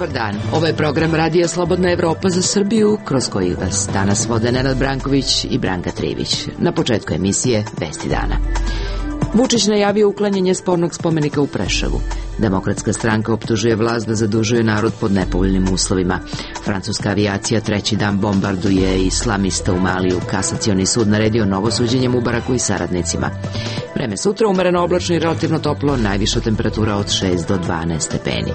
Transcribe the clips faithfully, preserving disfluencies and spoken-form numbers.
Dobar dan, ovo je program Radija Slobodna Evropa za Srbiju, kroz koji vas danas vode Nenad Branković i Branka Trivić. Na početku emisije Vesti dana. Vučić najavio uklanjanje spornog spomenika u Preševu. Demokratska stranka optužuje vlast da zadužuje narod pod nepovoljnim uslovima. Francuska avijacija treći dan bombarduje islamista u Maliju. Kasacioni sud naredio novo suđenje Mubaraku i saradnicima. Vreme sutra umereno oblačno i relativno toplo, najviša temperatura od šest do dvanaest stepeni.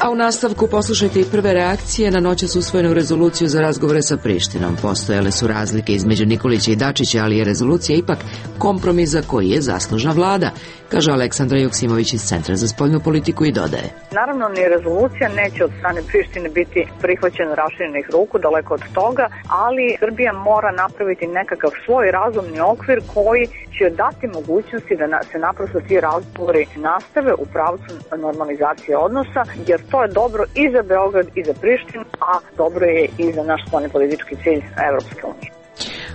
A u nastavku poslušajte i prve reakcije na noćas usvojenu rezoluciju za razgovore sa Prištinom. Postojale su razlike između Nikolića i Dačića, ali je rezolucija ipak kompromis za koji je zaslužna vlada, kaže Aleksandra Joksimović iz Centra za spoljnu politiku i dodaje. Naravno, ni rezolucija neće od strane Prištine biti prihvaćena raširenih ruku, daleko od toga, ali Srbija mora napraviti nekakav svoj razumni okvir koji će dati mogućnosti da se naprosto ti razgovori nastave u pravcu normalizacije odnosa, jer to je dobro i za Beograd i za Prištinu, a dobro je i za naš spoljnopolitički cilj Evropske unije.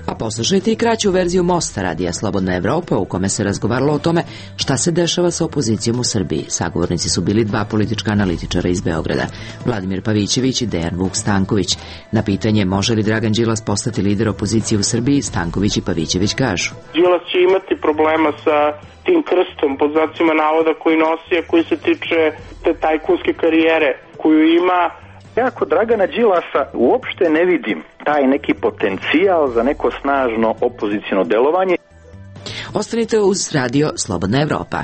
A poslušajte i kraću verziju Mosta Radija Slobodna Evropa, u kome se razgovaralo o tome šta se dešava sa opozicijom u Srbiji. Sagovornici su bili dva politička analitičara iz Beograda, Vladimir Pavićević i Dejan Vuk Stanković. Na pitanje može li Dragan Đilas postati lider opozicije u Srbiji, Stanković i Pavićević kažu. Đilas će imati problema sa tim krstom, pod znacima navoda, koji nosi, a koji se tiče te tajkunske karijere koju ima. Ja kod Dragana Đilasa uopšte ne vidim taj neki potencijal za neko snažno opoziciono delovanje. Ostanite uz Radio Slobodna Evropa.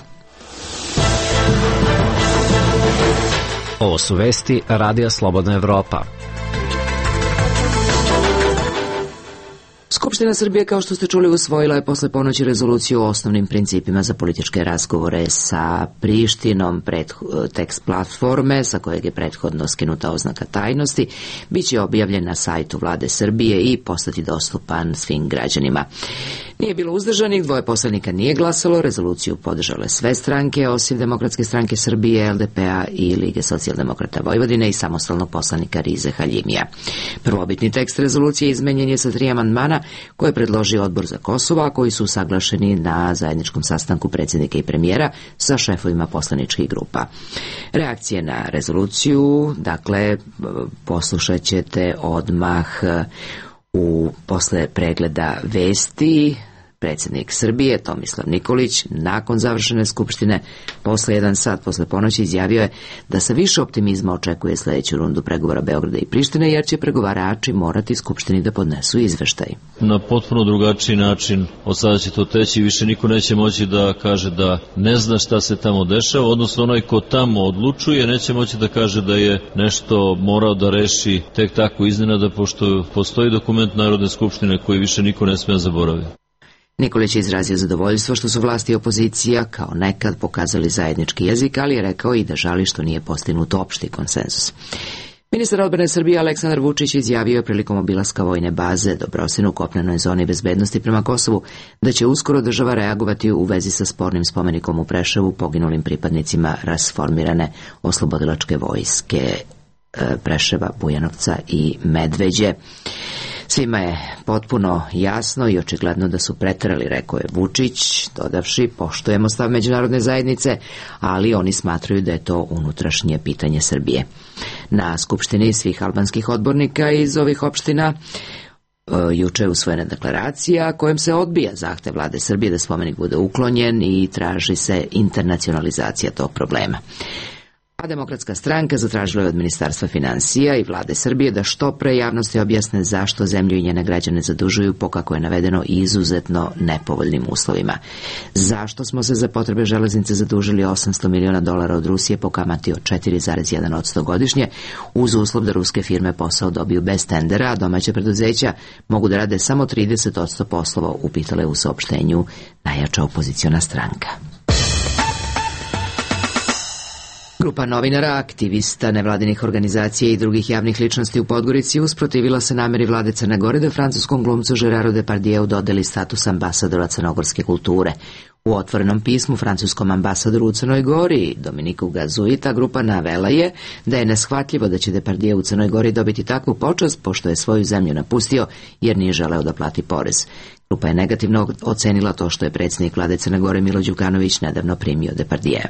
Ovo su vesti Radija Slobodna Evropa. Skupština Srbije, kao što ste čuli, usvojila je posle ponoći rezoluciju o osnovnim principima za političke razgovore sa Prištinom. Tekst platforme, sa kojeg je prethodno skinuta oznaka tajnosti, biće objavljen na sajtu Vlade Srbije i postati dostupan svim građanima. Nije bilo uzdržanih, dvoje poslanika nije glasalo, rezoluciju podržale sve stranke, osim Demokratske stranke Srbije, el de pe a i Lige socijaldemokrata Vojvodine i samostalnog poslanika Rize Haljimija. Prvobitni tekst rezolucije izmenjen je sa tri amandmana koje je predložio Odbor za Kosovo, a koji su usaglašeni na zajedničkom sastanku predsjednika i premijera sa šefovima poslaničkih grupa. Reakcije na rezoluciju, dakle, poslušat ćete odmah u posle pregleda vesti. Predsjednik Srbije Tomislav Nikolić nakon završene skupštine posle jedan sat posle ponoći izjavio je da sa više optimizma očekuje sljedeću rundu pregovora Beograda i Prištine, jer će pregovarači morati skupštini da podnesu izveštaj. Na potpuno drugačiji način od sada će to teći, više niko neće moći da kaže da ne zna šta se tamo dešava, odnosno onaj ko tamo odlučuje neće moći da kaže da je nešto morao da reši tek tako iznenada, pošto postoji dokument Narodne skupštine koji više niko ne smije zaboraviti. Nikolić je izrazio zadovoljstvo što su vlasti i opozicija kao nekad pokazali zajednički jezik, ali je rekao i da žali što nije postignut opšti konsenzus. Ministar odbrane Srbije Aleksandar Vučić izjavio je prilikom obilaska vojne baze Dobrosin u kopnenoj zoni bezbednosti prema Kosovu da će uskoro država reagovati u vezi sa spornim spomenikom u Preševu poginulim pripadnicima rasformirane oslobodilačke vojske Preševa, Bujanovca i Medveđe. Svima je potpuno jasno i očigledno da su preterali, rekao je Vučić, dodavši poštujemo stav međunarodne zajednice, ali oni smatraju da je to unutrašnje pitanje Srbije. Na skupštini svih albanskih odbornika iz ovih opština juče je usvojena deklaracija kojom se odbija zahtev Vlade Srbije da spomenik bude uklonjen i traži se internacionalizacija tog problema. A Demokratska stranka zatražila je od Ministarstva finansija i Vlade Srbije da što pre javnosti objasne zašto zemlju i njene građane zadužuju po, kako je navedeno, izuzetno nepovoljnim uslovima. Zašto smo se za potrebe železnice zadužili osamsto miliona dolara od Rusije po kamati od četiri zarez jedan posto godišnje, uz uslov da ruske firme posao dobiju bez tendera, a domaća preduzeća mogu da rade samo trideset posto poslova, upitale u saopštenju najjača opoziciona stranka. Grupa novinara, aktivista, nevladinih organizacija i drugih javnih ličnosti u Podgorici usprotivila se nameri vlade Crne Gore da francuskom glumcu Geraru Depardijeu dodeli status ambasadora crnogorske kulture. U otvorenom pismu francuskom ambasadoru u Crnoj Gori, Dominiku Gazuji, ta grupa navela je da je neshvatljivo da će Depardijeu u Crnoj Gori dobiti takvu počast, pošto je svoju zemlju napustio jer nije želeo da plati porez. Grupa je negativno ocenila to što je predsjednik vlade Crne Gore Milo Đukanović nedavno primio Depardijea.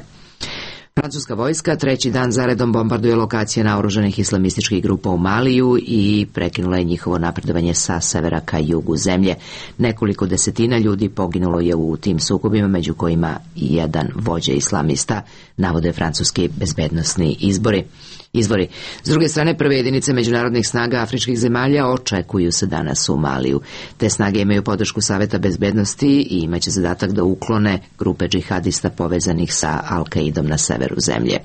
Francuska vojska treći dan zaredom bombarduje lokacije naoružanih islamističkih grupa u Maliju i prekinula je njihovo napredovanje sa severa ka jugu zemlje. Nekoliko desetina ljudi poginulo je u tim sukobima, među kojima i jedan vođa islamista, navode francuski bezbednosni izbori. Izvori. S druge strane, prve jedinice međunarodnih snaga afričkih zemalja očekuju se danas u Maliju. Te snage imaju podršku Saveta bezbednosti i imaće zadatak da uklone grupe džihadista povezanih sa Al-Kaidom na severu zemlje.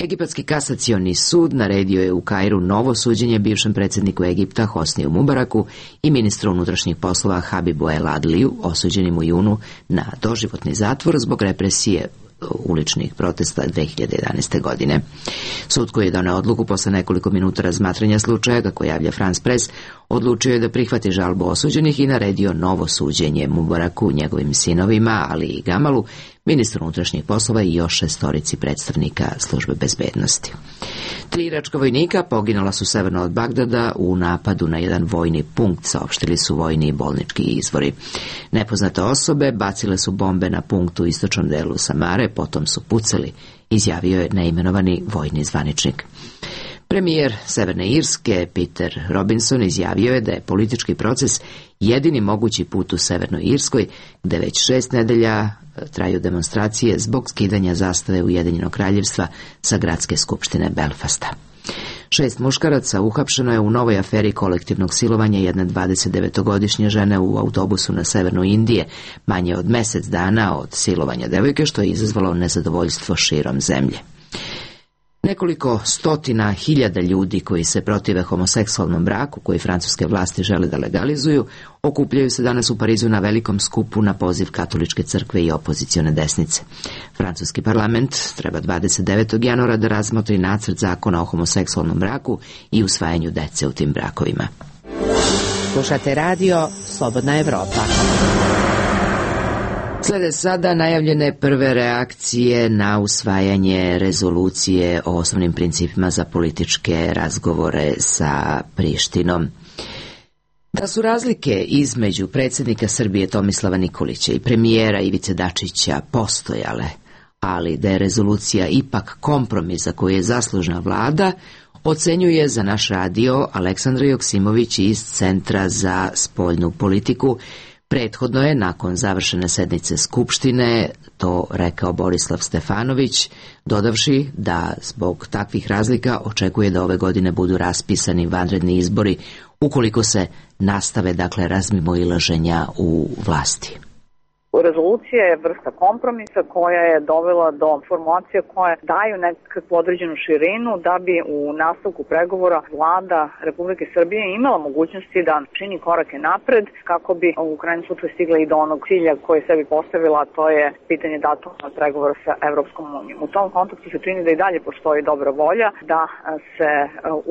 Egipatski kasacioni sud naredio je u Kairu novo suđenje bivšem predsjedniku Egipta Hosniju Mubaraku i ministru unutrašnjih poslova Habibu El Adliju, osuđenim u junu na doživotni zatvor zbog represije uličnih protesta dve hiljade jedanaeste. godine. Sud, koji je doneo odluku posle nekoliko minuta razmatranja slučaja, kako javlja France Press, odlučio je da prihvati žalbu osuđenih i naredio novo suđenje Mubaraku, njegovim sinovima, ali i Gamalu, ministru unutrašnjih poslova i još šestorici predstavnika službe bezbednosti. Tri iračka vojnika poginula su severno od Bagdada u napadu na jedan vojni punkt, saopštili su vojni i bolnički izvori. Nepoznate osobe bacile su bombe na punkt u istočnom delu Samare, potom su pucali, izjavio je neimenovani vojni zvaničnik. Premijer Severne Irske Peter Robinson izjavio je da je politički proces jedini mogući put u Severnoj Irskoj, gde već šest nedelja traju demonstracije zbog skidanja zastave Ujedinjenog kraljevstva sa gradske skupštine Belfasta. Šest muškaraca uhapšeno je u novoj aferi kolektivnog silovanja jedne dvadesetdevetogodišnje žene u autobusu na severnu Indije, manje od mesec dana od silovanja devojke, što je izazvalo nezadovoljstvo širom zemlje. Nekoliko stotina hiljada ljudi koji se protive homoseksualnom braku, koji francuske vlasti žele da legalizuju, okupljaju se danas u Parizu na velikom skupu na poziv katoličke crkve i opozicione desnice. Francuski parlament treba dvadeset devetog januara da razmotri nacrt zakona o homoseksualnom braku i usvajanju dece u tim brakovima. Slušate radio Slobodna Evropa. Slede sada najavljene prve reakcije na usvajanje rezolucije o osnovnim principima za političke razgovore sa Prištinom. Da su razlike između predsjednika Srbije Tomislava Nikolića i premijera Ivice Dačića postojale, ali da je rezolucija ipak kompromis za koji je zaslužna vlada, ocenjuje za naš radio Aleksandra Joksimović iz Centra za spoljnu politiku. Prethodno je, nakon završene sednice Skupštine, to rekao Borislav Stefanović, dodavši da zbog takvih razlika očekuje da ove godine budu raspisani vanredni izbori ukoliko se nastave, dakle, razmimoilaženja u vlasti. Rezolucija je vrsta kompromisa koja je dovela do formulacije koje daju nekakvu određenu širinu da bi u nastavku pregovora vlada Republike Srbije imala mogućnosti da čini korake napred kako bi u krajnjem slučaju stigla i do onog cilja koje je sebi postavila, a to je pitanje datuma pregovora sa Evropskom unijom. U tom kontekstu se čini da i dalje postoji dobra volja da se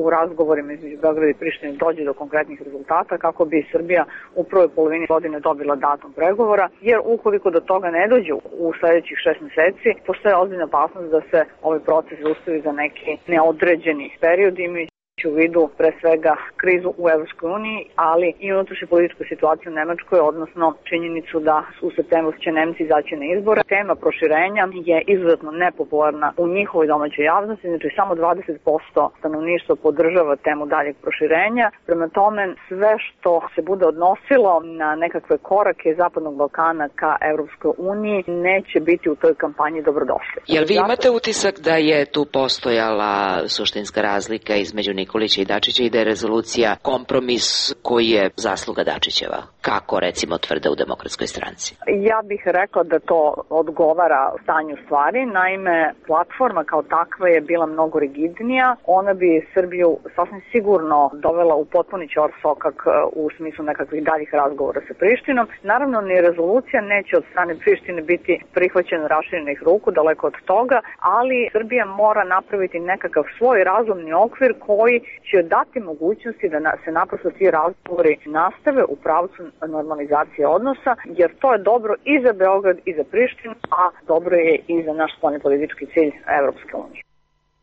u razgovorima između Beograda i Prištine dođe do konkretnih rezultata kako bi Srbija u prvoj polovini godine dobila datum pregovora, jer ukoliko do toga ne dođe u sljedećih šest meseci, postoje ozbiljna opasnost da se ovaj proces zaustavi za neki neodređeni period, imajući u vidu pre svega krizu u Evropskoj uniji, ali i unutrašnju političku situaciju u Nemačkoj, odnosno činjenicu da u septembru će Nemci izaći na izbore. Tema proširenja je izuzetno nepopularna u njihovoj domaćoj javnosti, znači samo dvadeset posto stanovništva podržava temu daljeg proširenja. Prema tome, sve što se bude odnosilo na nekakve korake Zapadnog Balkana ka Evropskoj uniji neće biti u toj kampanji dobrodošli. Jel vi imate utisak da je tu postojala suštinska razlika između Nikolića i Dačića i da je rezolucija kompromis koji je zasluga Dačićeva, kako recimo tvrde u Demokratskoj stranci? Ja bih rekla da to odgovara stanju stvari. Naime, platforma kao takva je bila mnogo rigidnija. Ona bi Srbiju sasvim sigurno dovela u potpuni ćorsokak u smislu nekakvih daljih razgovora sa Prištinom. Naravno, ni rezolucija neće od strane Prištine biti prihvaćena raširenih ruku, daleko od toga, ali Srbija mora napraviti nekakav svoj razumni okvir koji će dati mogućnosti da se naprosto ti razgovori nastave u pravcu normalizacije odnosa, jer to je dobro i za Beograd i za Prištinu, a dobro je i za naš spoljni politički cilj Evropske unije.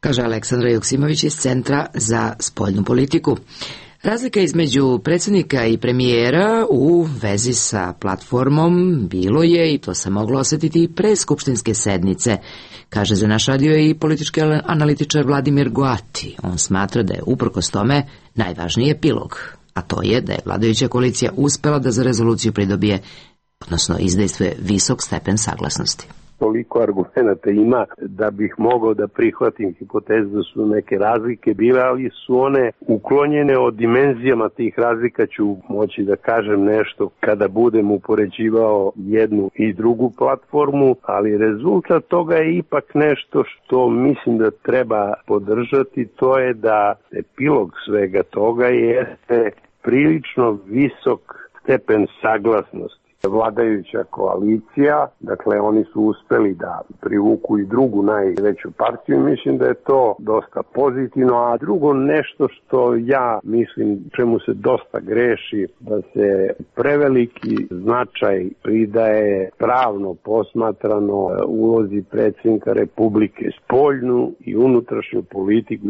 Kaže Aleksandra Joksimović iz Centra za spoljnu politiku. Razlika između predsjednika i premijera u vezi sa platformom bilo je, i to se moglo osjetiti i pre skupštinske sednice, kaže za naš radio i politički analitičar Vladimir Goati. On smatra da je uprkos tome najvažniji epilog, a to je da je vladajuća koalicija uspela da za rezoluciju pridobije, odnosno izdejstvuje visok stepen saglasnosti. Toliko argumenata ima da bih mogao da prihvatim hipotezu da su neke razlike bile, ali su one uklonjene. Od dimenzijama tih razlika ću moći da kažem nešto kada budem upoređivao jednu i drugu platformu, ali rezultat toga je ipak nešto što mislim da treba podržati, to je da epilog svega toga jeste prilično visok stepen saglasnosti. Vladajuća koalicija, dakle oni su uspeli da privuku i drugu najveću partiju i mislim da je to dosta pozitivno, a drugo nešto što ja mislim čemu se dosta greši, da se preveliki značaj pridaje pravno posmatrano ulozi predsjednika Republike. Spoljnu i unutrašnju politiku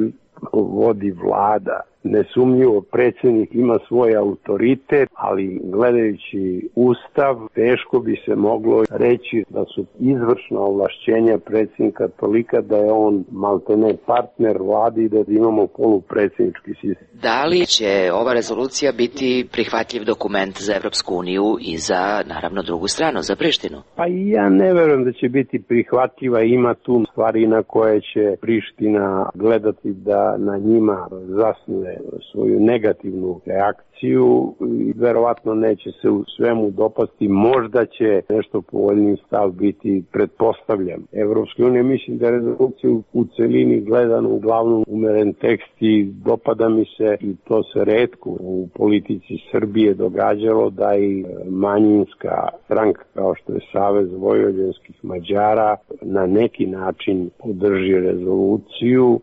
vodi vlada. Nesumnjivo predsjednik ima svoj autoritet, ali gledajući Ustav teško bi se moglo reći da su izvršna ovlašćenja predsjednika tolika da je on maltene partner vladi i da imamo polupredsjednički sistem. Da li će ova rezolucija biti prihvatljiv dokument za Evropsku uniju i za, naravno, drugu stranu, za Prištinu? Pa ja ne verujem da će biti prihvatljiva, ima tu stvari na koje će Priština gledati da na njima zasnuje svoju negativnu reakciju i verovatno neće se u svemu dopasti. Možda će nešto povoljniji stav biti, pretpostavljam. Evropske unije, mislim da je rezolucija u celini gledano uglavnom umeren tekst i dopada mi se, i to se retko u politici Srbije događalo, da i manjinska stranka kao što je Savez vojvođanskih Mađara na neki način podrži rezoluciju,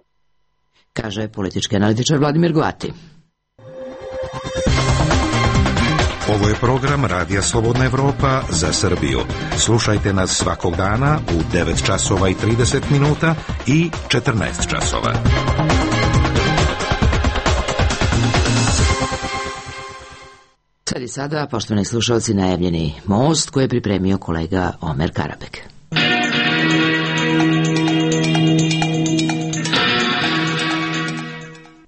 kaže politički analitičar Vladimir Goati. Ovo je program Radija Slobodna Evropa za Srbiju. Slušajte nas svakog dana u devet časova i trideset minuta i četrnaest časova. Sad i sada, poštovani slušalci, najavljeni most koji je pripremio kolega Omer Karabek.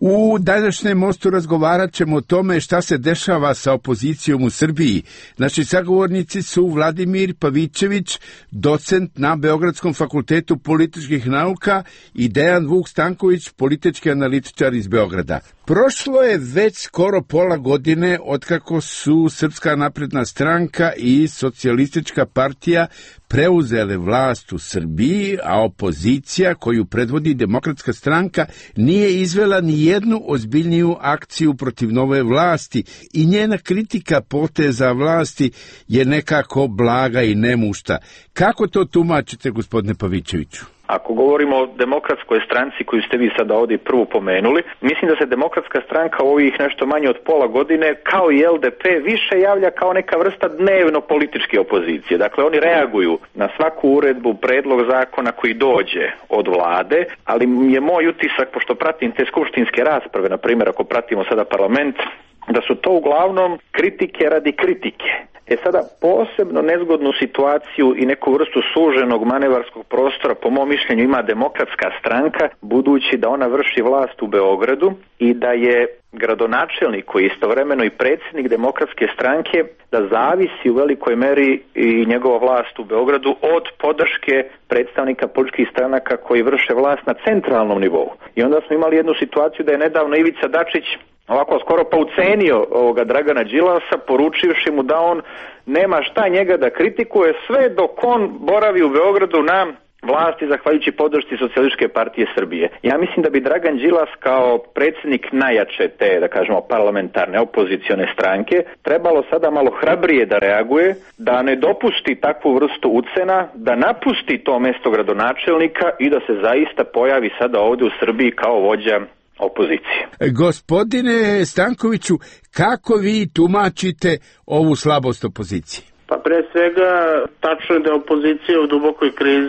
U današnjem mostu razgovarat ćemo o tome šta se dešava sa opozicijom u Srbiji. Naši sagovornici su Vladimir Pavićević, docent na Beogradskom fakultetu političkih nauka, i Dejan Vuk Stanković, politički analitičar iz Beograda. Prošlo je već skoro pola godine otkako su Srpska napredna stranka i Socijalistička partija preuzele vlast u Srbiji, a opozicija koju predvodi Demokratska stranka nije izvela ni jednu ozbiljniju akciju protiv nove vlasti i njena kritika poteza vlasti je nekako blaga i nemušta. Kako to tumačite, gospodine Pavićeviću? Ako govorimo o Demokratskoj stranci koju ste vi sada ovdje prvu pomenuli, mislim da se Demokratska stranka u ovih nešto manje od pola godine, kao i L D P, više javlja kao neka vrsta dnevno političke opozicije. Dakle, oni reaguju na svaku uredbu, predlog zakona koji dođe od vlade, ali je moj utisak, pošto pratim te skupštinske rasprave, na primjer ako pratimo sada parlament, da su to uglavnom kritike radi kritike. E sada, posebno nezgodnu situaciju i neku vrstu suženog manevarskog prostora, po mom mišljenju, ima Demokratska stranka, budući da ona vrši vlast u Beogradu i da je gradonačelnik, koji je istovremeno i predsjednik Demokratske stranke, da zavisi u velikoj meri i njegova vlast u Beogradu od podrške predstavnika političkih stranaka koji vrše vlast na centralnom nivou. I onda smo imali jednu situaciju da je nedavno Ivica Dačić ovako skoro pa ucenio ovoga Dragana Đilasa, poručivši mu da on nema šta njega da kritikuje sve dok on boravi u Beogradu na vlasti zahvaljujući podršci Socijalističke partije Srbije. Ja mislim da bi Dragan Đilas kao predsjednik najjače te, da kažemo, parlamentarne opozicione stranke trebalo sada malo hrabrije da reaguje, da ne dopusti takvu vrstu ucena, da napusti to mesto gradonačelnika i da se zaista pojavi sada ovdje u Srbiji kao vođa opozicije. Gospodine Stankoviću, kako vi tumačite ovu slabost opozicije? Pa pre svega, tačno je da je opozicija u dubokoj krizi.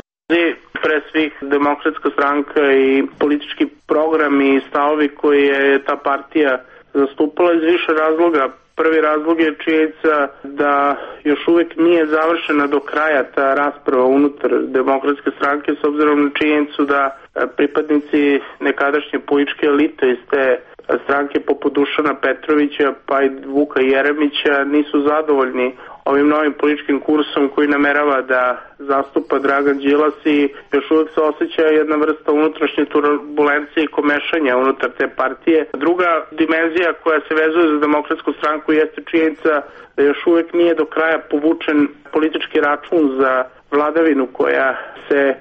Pre svih Demokratska stranka i politički program i stavovi koje je ta partija zastupala iz više razloga. Prvi razlog je činjenica da još uvek nije završena do kraja ta rasprava unutar Demokratske stranke, s obzirom na činjenicu da pripadnici nekadašnje političke elite iz te stranke poput Dušana Petrovića pa i Vuka Jeremića nisu zadovoljni ovim novim političkim kursom koji namerava da zastupa Dragan Đilas i još uvek se osjeća jedna vrsta unutrašnje turbulencije i komešanja unutar te partije. Druga dimenzija koja se vezuje za Demokratsku stranku jeste činjenica da još uvek nije do kraja povučen politički račun za vladavinu koja se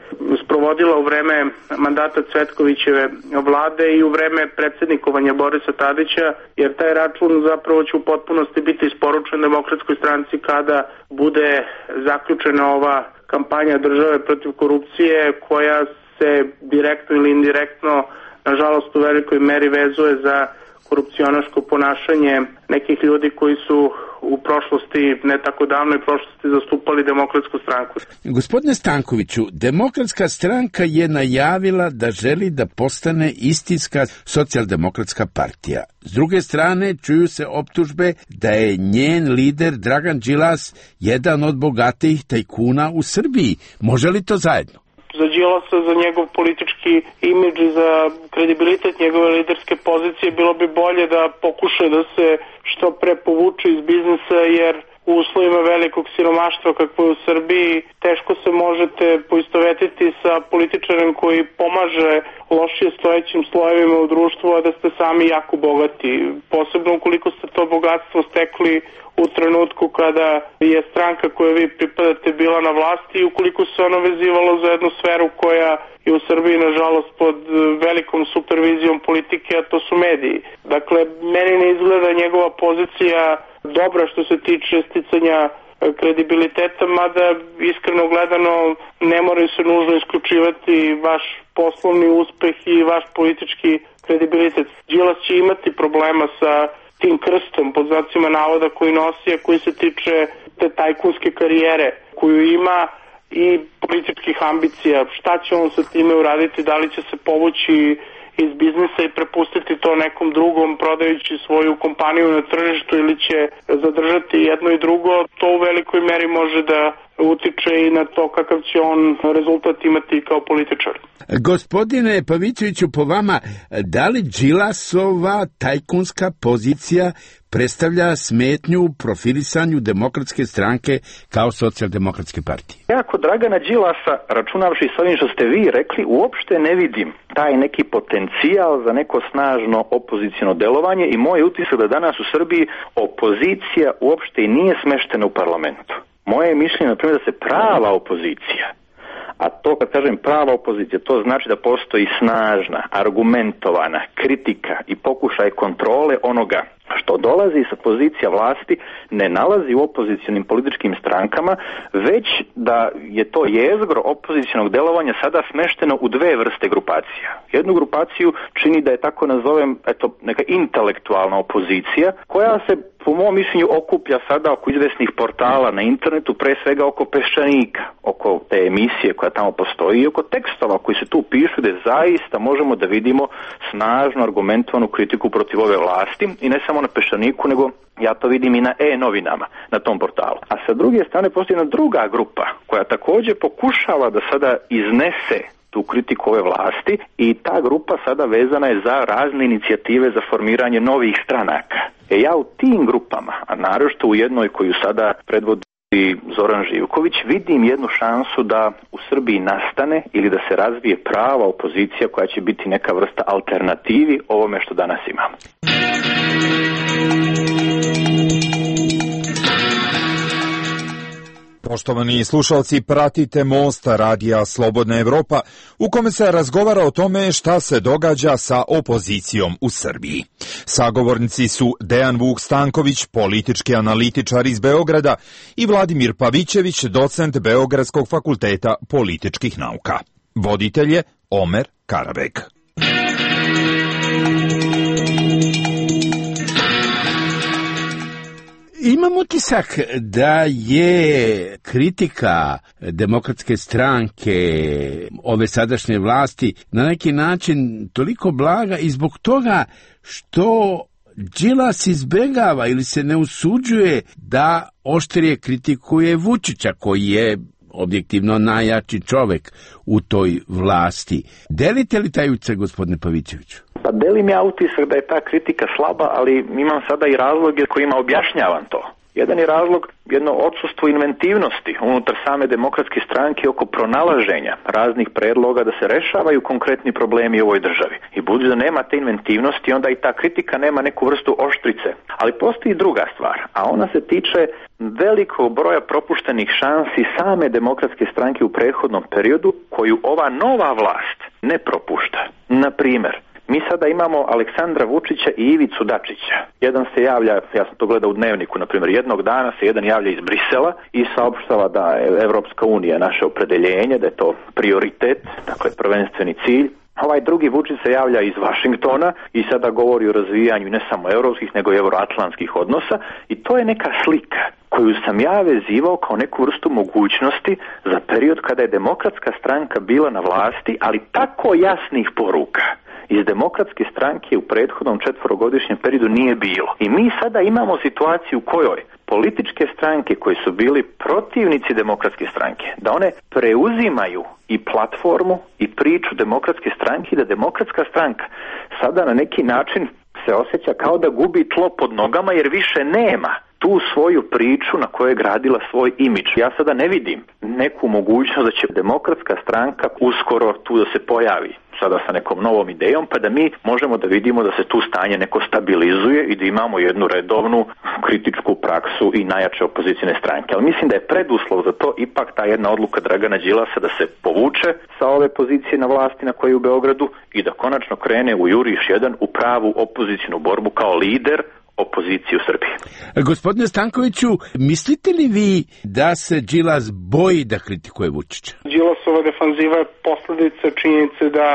sprovodila u vreme mandata Cvetkovićeve vlade i u vreme predsjednikovanja Borisa Tadića, jer taj račun zapravo će u potpunosti biti isporučen Demokratskoj stranci kada bude zaključena ova kampanja države protiv korupcije koja se direktno ili indirektno, nažalost u velikoj meri vezuje za korupcionaško ponašanje nekih ljudi koji su u prošlosti, ne tako davnoj prošlosti, zastupali Demokratsku stranku. Gospodine Stankoviću, Demokratska stranka je najavila da želi da postane istinska socijaldemokratska partija. S druge strane, čuju se optužbe da je njen lider Dragan Đilas jedan od bogatijih tajkuna u Srbiji. Može li to zajedno? Za Đilasa, za njegov politički imidž i za kredibilitet njegove liderske pozicije bilo bi bolje da pokuša da se što pre povuče iz biznisa, jer u uslovima velikog siromaštva kakvo je u Srbiji teško se možete poistovetiti sa političarem koji pomaže lošije stojećim slojevima u društvu, a da ste sami jako bogati. Posebno ukoliko ste to bogatstvo stekli u trenutku kada je stranka kojoj vi pripadate bila na vlasti i ukoliko se ono vezivalo za jednu sferu koja je u Srbiji nažalost pod velikom supervizijom politike, a to su mediji. Dakle, meni ne izgleda njegova pozicija dobra što se tiče sticanja kredibiliteta, mada iskreno gledano ne moraju se nužno isključivati vaš poslovni uspeh i vaš politički kredibilitet. Đilas će imati problema sa tim krstom pod znacima navoda koji nosi, a koji se tiče te tajkunske karijere koju ima i političkih ambicija. Šta će on sa time uraditi? Da li će se povući iz biznisa i prepustiti to nekom drugom prodajući svoju kompaniju na tržištu ili će zadržati jedno i drugo? To u velikoj meri može da utiče i na to kakav će on rezultat imati kao političar. Gospodine Pavićeviću, po vama, da li Đilasova tajkunska pozicija predstavlja smetnju u profilisanju Demokratske stranke kao socijaldemokratske partije? Ja kod Dragana Đilasa, računavši s ovim što ste vi rekli, uopšte ne vidim taj neki potencijal za neko snažno opoziciono delovanje i moj utisak da danas u Srbiji opozicija uopšte i nije smeštena u parlamentu. Moje je mišljenje, na primjer, da se prava opozicija, a to kad kažem prava opozicija, to znači da postoji snažna, argumentovana kritika i pokušaj kontrole onoga što dolazi sa pozicija vlasti, ne nalazi u opozicionim političkim strankama, već da je to jezgro opozicionog delovanja sada smešteno u dve vrste grupacija. Jednu grupaciju čini, da je tako nazovem, eto, neka intelektualna opozicija, koja se po mom mišljenju okuplja sada oko izvesnih portala na internetu, pre svega oko Peščanika, oko te emisije koja tamo postoji i oko tekstova koji se tu pišu, gde zaista možemo da vidimo snažno argumentovanu kritiku protiv ove vlasti i ne samo na Peščaniku, nego ja to vidim i na e-novinama na tom portalu. A sa druge strane postoji jedna druga grupa koja također pokušava da sada iznese tu kritiku ove vlasti i ta grupa sada vezana je za razne inicijative za formiranje novih stranaka. E ja u tim grupama, a naročito u jednoj koju sada predvodi Zoran Živković, vidim jednu šansu da u Srbiji nastane ili da se razvije prava opozicija koja će biti neka vrsta alternativi ovome što danas imamo. Poštovani slušalci, pratite Most radija Slobodna Evropa, u kome se razgovara o tome šta se događa sa opozicijom u Srbiji. Sagovornici su Dejan Vuk Stanković, politički analitičar iz Beograda, i Vladimir Pavićević, docent Beogradskog fakulteta političkih nauka. Voditelj je Omer Karabek. Imam utisak da je kritika Demokratske stranke, ove sadašnje vlasti, na neki način toliko blaga i zbog toga što Đilas izbegava ili se ne usuđuje da oštrije kritikuje Vučića, koji je objektivno najjači čovek u toj vlasti. Delite li taj utisak, gospodine Pavićeviću? Pa delim ja utisak da je ta kritika slaba, ali imam sada i razloge kojima objašnjavam to. Jedan je razlog jedno odsustvo inventivnosti unutar same demokratske stranke oko pronalaženja raznih predloga da se rešavaju konkretni problemi u ovoj državi. I budući da nema te inventivnosti, onda i ta kritika nema neku vrstu oštrice. Ali postoji druga stvar, a ona se tiče velikog broja propuštenih šansi same demokratske stranke u prethodnom periodu koju ova nova vlast ne propušta. Na primjer, mi sada imamo Aleksandra Vučića i Ivicu Dačića. Jedan se javlja, ja sam to gledao u Dnevniku, na primjer, jednog dana se jedan javlja iz Brisela i saopštava da je Evropska unija naše opredeljenje, da je to prioritet, dakle prvenstveni cilj. Ovaj drugi Vučić se javlja iz Vašingtona i sada govori o razvijanju ne samo evropskih, nego i euroatlantskih odnosa i to je neka slika koju sam ja vezivao kao neku vrstu mogućnosti za period kada je demokratska stranka bila na vlasti, ali tako jasnih poruka iz demokratske stranke u prethodnom četvorogodišnjem periodu nije bilo. I mi sada imamo situaciju u kojoj političke stranke koji su bili protivnici demokratske stranke, da one preuzimaju i platformu i priču demokratske stranke i da demokratska stranka sada na neki način se osjeća kao da gubi tlo pod nogama jer više nema tu svoju priču na kojoj je gradila svoj imidž. Ja sada ne vidim neku mogućnost da će demokratska stranka uskoro tu da se pojavi sada sa nekom novom idejom, pa da mi možemo da vidimo da se tu stanje neko stabilizuje i da imamo jednu redovnu kritičku praksu i najjače opozicijne stranke. Ali mislim da je preduslov za to ipak ta jedna odluka Dragana Đilasa da se povuče sa ove pozicije na vlasti na kojoj u Beogradu i da konačno krene u Juriš jedan u pravu opozicijnu borbu kao lider opoziciju u Srbiji. Gospodine Stankoviću, mislite li vi da se Đilas boji da kritikuje Vučića? Đilasova defanziva je posledica činjenice da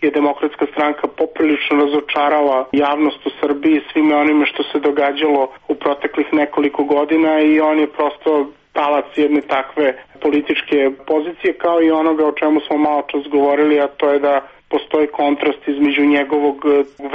je demokratska stranka poprilično razočarala javnost u Srbiji svime onime što se događalo u proteklih nekoliko godina i on je prosto talac jedne takve političke pozicije kao i onoga o čemu smo malo čas govorili, a to je da postoji kontrast između njegovog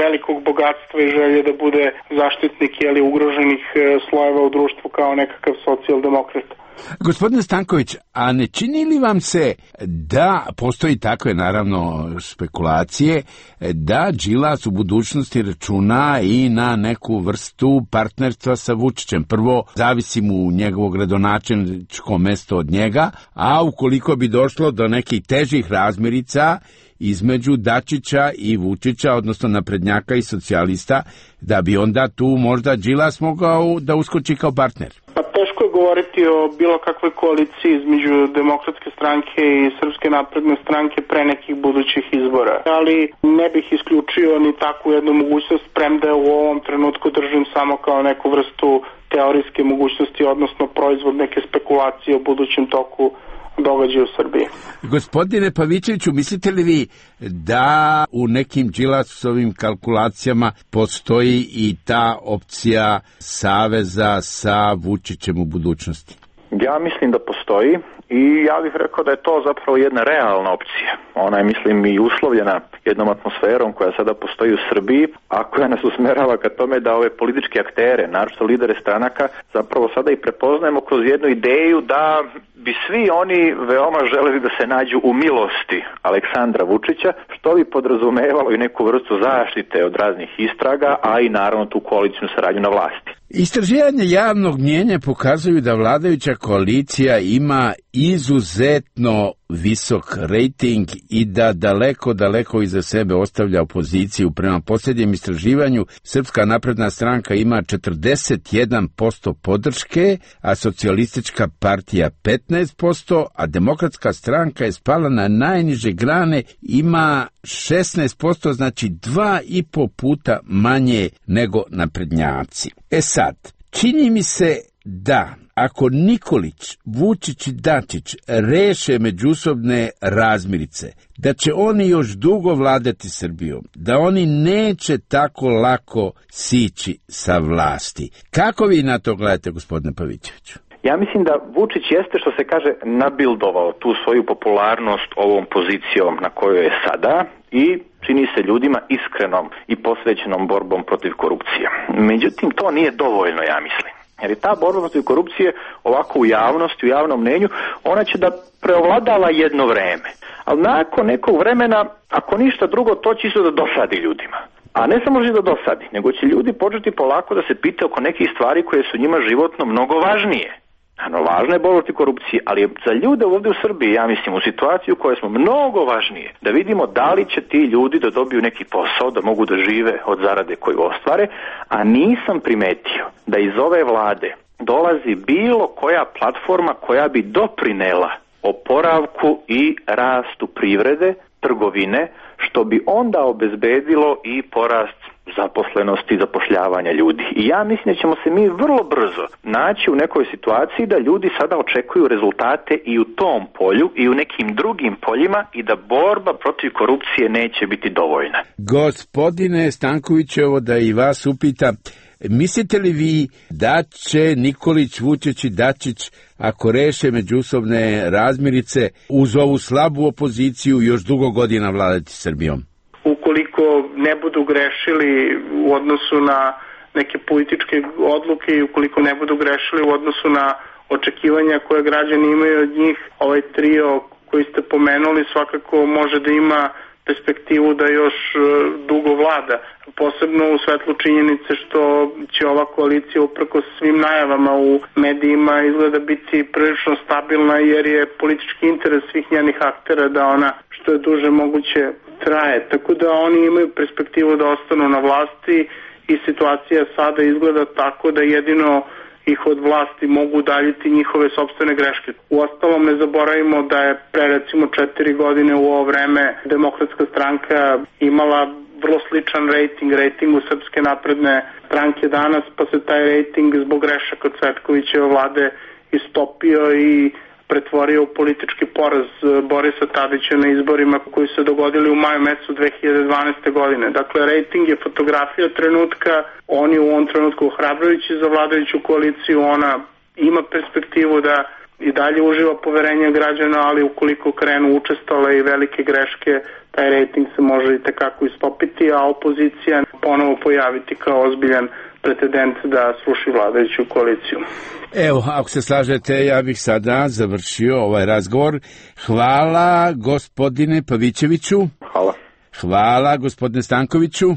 velikog bogatstva i želje da bude zaštitnik ili ugroženih slojeva u društvu kao nekakav socijaldemokrata. Gospodine Stanković, a ne čini li vam se da postoji takve, naravno, spekulacije, da Đilas u budućnosti računa i na neku vrstu partnerstva sa Vučićem? Prvo, zavisi mu njegovo gradonačelničko mesto od njega, a ukoliko bi došlo do nekih težih razmirica između Dačića i Vučića, odnosno naprednjaka i socijalista, da bi onda tu možda Đilas mogao da uskoči kao partner? Pa teško je govoriti o bilo kakvoj koaliciji između demokratske stranke i srpske napredne stranke pre nekih budućih izbora. Ali ne bih isključio ni takvu jednu mogućnost, premda u ovom trenutku držim samo kao neku vrstu teorijske mogućnosti, odnosno proizvod neke spekulacije o budućem toku događaja u Srbiji. Gospodine Pavićeviću, mislite li vi da u nekim Đilasovim kalkulacijama postoji i ta opcija saveza sa Vučićem u budućnosti? Ja mislim da postoji i ja bih rekao da je to zapravo jedna realna opcija. Ona je, mislim, i uslovljena jednom atmosferom koja sada postoji u Srbiji, a koja nas usmerava ka tome da ove političke aktere, naročito lidere stranaka, zapravo sada i prepoznajemo kroz jednu ideju da bi svi oni veoma želeli da se nađu u milosti Aleksandra Vučića, što bi podrazumevalo i neku vrstu zaštite od raznih istraga, a i naravno tu koalicijnu saradnju na vlasti. Istraživanje javnog mnijenja pokazuju da vladajuća koalicija ima izuzetno visok rejting i da daleko, daleko iza sebe ostavlja opoziciju. Prema posljednjem istraživanju, Srpska napredna stranka ima četrdeset jedan posto podrške, a Socijalistička partija petnaest posto, a Demokratska stranka je spala na najniže grane, ima šesnaest posto, znači dva i po puta manje nego naprednjaci. E sad, čini mi se da ako Nikolić, Vučić i Dačić reše međusobne razmirice, da će oni još dugo vladati Srbijom, da oni neće tako lako sići sa vlasti. Kako vi na to gledate, gospodine Pavićeviću? Ja mislim da Vučić jeste, što se kaže, nabildovao tu svoju popularnost ovom pozicijom na kojoj je sada i čini se ljudima iskrenom i posvećenom borbom protiv korupcije. Međutim, to nije dovoljno, ja mislim. Jer je ta borba protiv korupcije ovako u javnosti, u javnom mnenju, ona će da preovladava jedno vreme. Ali nakon nekog vremena, ako ništa drugo, to će isto da dosadi ljudima. A ne samo da dosadi, nego će ljudi početi polako da se pita oko nekih stvari koje su njima životno mnogo važnije. Ano, važna je borba protiv korupcije, ali je za ljude ovdje u Srbiji, ja mislim, u situaciju u kojoj smo mnogo važnije, da vidimo da li će ti ljudi da dobiju neki posao, da mogu da žive od zarade koju ostvare, a nisam primetio da iz ove vlade dolazi bilo koja platforma koja bi doprinela oporavku i rastu privrede, trgovine, što bi onda obezbedilo i porast zaposlenosti i zapošljavanja ljudi. I ja mislim da ćemo se mi vrlo brzo naći u nekoj situaciji da ljudi sada očekuju rezultate i u tom polju i u nekim drugim poljima i da borba protiv korupcije neće biti dovoljna. Gospodine Stanković, evo da i vas upita, mislite li vi da će Nikolić, Vučić i Dačić, ako reše međusobne razmirice, uz ovu slabu opoziciju još dugo godina vladati Srbijom? Ukoliko ne budu grešili u odnosu na neke političke odluke i ukoliko ne budu grešili u odnosu na očekivanja koje građani imaju od njih, ovaj trio koji ste pomenuli svakako može da ima perspektivu da još dugo vlada. Posebno u svetlu činjenice što će ova koalicija uprkos svim najavama u medijima izgleda biti prilično stabilna jer je politički interes svih njenih aktera da ona što je duže moguće traje. Tako da oni imaju perspektivu da ostanu na vlasti i situacija sada izgleda tako da jedino ih od vlasti mogu udaljiti njihove sopstvene greške. Uostalom ne zaboravimo da je pre recimo četiri godine u ovo vreme Demokratska stranka imala vrlo sličan rejting, rejtingu Srpske napredne stranke danas, pa se taj rejting zbog grešaka od Cvetkovićeve vlade istopio i pretvorio u politički poraz Borisa Tadića na izborima koji se dogodili u maju mesecu dve hiljade dvanaeste. godine. Dakle, rejting je fotografija trenutka, on je u ovom trenutku ohrabrujući za vladajuću koaliciju, ona ima perspektivu da i dalje uživa poverenje građana, ali ukoliko krenu učestale i velike greške, taj rejting se može i tekako istopiti, a opozicija ponovo pojaviti kao ozbiljan pretendent da sruši vladajuću koaliciju. Evo, ako se slažete, ja bih sada završio ovaj razgovor. Hvala gospodine Pavićeviću. Hvala. Hvala gospodine Stankoviću.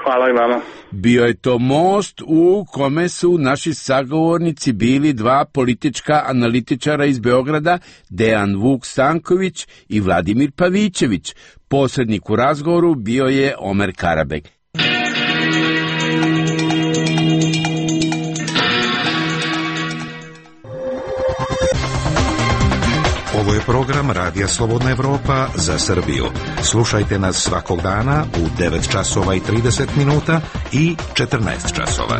Hvala i vama. Bio je to most u kome su naši sagovornici bili dva politička analitičara iz Beograda, Dejan Vuk Stanković i Vladimir Pavićević. Posrednik u razgovoru bio je Omer Karabek. Ovo je program Radija Slobodna Evropa za Srbiju. Slušajte nas svakog dana u devet časova i trideset minuta i četrnaest časova.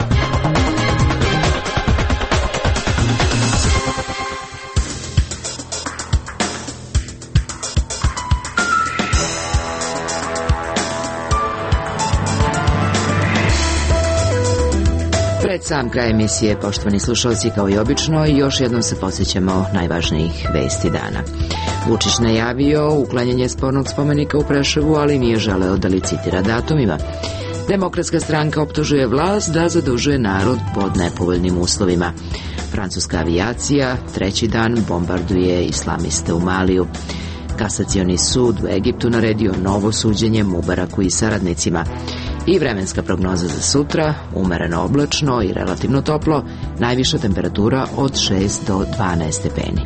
Pred sam kraj emisije, poštovani slušalci, kao i obično, još jednom se podsjećamo najvažnijih vesti dana. Vučić najavio uklanjanje spornog spomenika u Preševu, ali nije želeo da licitira datumima. Demokratska stranka optužuje vlast da zadužuje narod pod nepovoljnim uslovima. Francuska avijacija treći dan bombarduje islamiste u Maliju. Kasacioni sud u Egiptu naredio novo suđenje Mubaraku i saradnicima. I vremenska prognoza za sutra, umereno oblačno i relativno toplo, najviša temperatura od šest do dvanaest stepeni.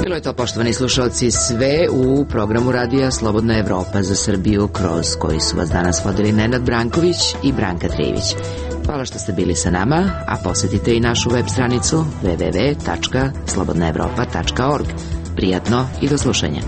Bilo je to, poštovani slušalci, sve u programu Radija Slobodna Evropa za Srbiju, kroz koji su vas danas vodili Nenad Branković i Branka Trijević. Hvala što ste bili sa nama, a posjetite i našu web stranicu w w w tačka slobodna evropa tačka org. Prijatno i do slušanja.